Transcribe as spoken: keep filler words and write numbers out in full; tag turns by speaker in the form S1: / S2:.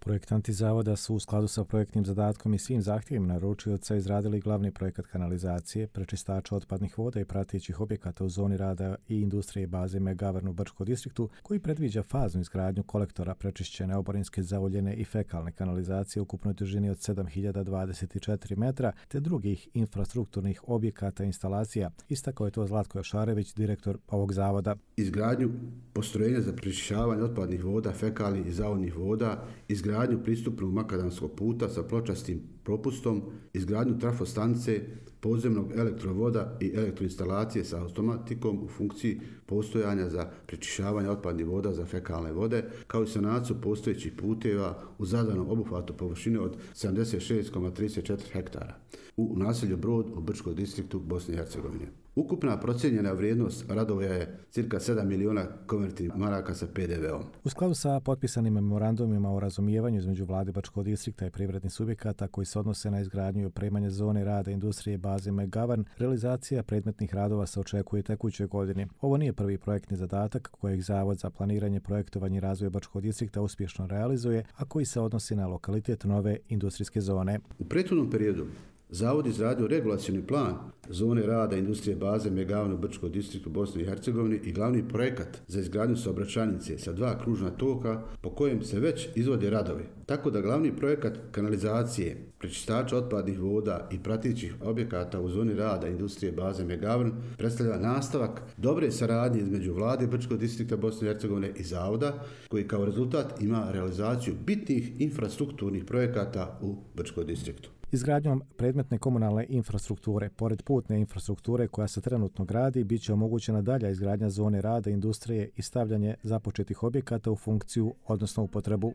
S1: Projektanti zavoda su u skladu sa projektnim zadatkom i svim zahtjevima naručioca izradili glavni projekat kanalizacije, prečistača otpadnih voda i pratećih objekata u zoni rada i industrije baze Megavern u Brčkom distriktu, koji predviđa faznu izgradnju kolektora prečišćene oborinske, zauljene i fekalne kanalizacije u ukupnoj dužini od sedam hiljada dvadeset četiri metra, te drugih infrastrukturnih objekata i instalacija. Istakao je to Zlatko Jošarević, direktor ovog zavoda.
S2: Izgradnju postrojenja za prečišćavanje otpadnih voda, fekalnih i zauljnih voda, izgradnju pristupnog makadamskog puta sa pločastim propustom, izgradnju trafostanice, podzemnog elektrovoda i elektroinstalacije sa automatikom u funkciji postojanja za prečišćavanje otpadnih voda za fekalne vode, kao i sanaciju postojećih puteva u zadanom obuhvatu površine od sedamdeset šest zarez trideset četiri hektara u naselju Brod u Brčkom distriktu Bosne i Hercegovine. Ukupna procijenjena vrijednost radova je cirka sedam miliona konvertnih maraka sa pe de veom.
S1: U skladu sa potpisanim memorandumima o razumijevanju između vlade Brčkog distrikta i privrednih subjekata koji se odnose na izgradnju i opremanje zone rada industrije baze Megavern, realizacija predmetnih radova se očekuje tekućoj godini. Ovo nije prvi projektni zadatak kojeg Zavod za planiranje, projektovanje i razvoj Brčkog distrikta uspješno realizuje, a koji se odnosi na lokalitet nove industrijske zone.
S2: U prethodnom periodu Zavod izradio regulacioni plan zone rada industrije baze Megavern u Brčkom distriktu Bosne i Hercegovine i glavni projekat za izgradnju saobraćajnice sa dva kružna toka po kojem se već izvode radovi. Tako da glavni projekat kanalizacije, prečistača otpadnih voda i pratećih objekata u zoni rada industrije baze Megavern predstavlja nastavak dobre saradnje između vlade Brčkog distrikta Bosne i Hercegovine i Zavoda, koji kao rezultat ima realizaciju bitnih infrastrukturnih projekata u Brčkom distriktu.
S1: Izgradnjom predmetne komunalne infrastrukture, pored putne infrastrukture koja se trenutno gradi, bit će omogućena dalja izgradnja zone rada industrije i stavljanje započetih objekata u funkciju, odnosno upotrebu.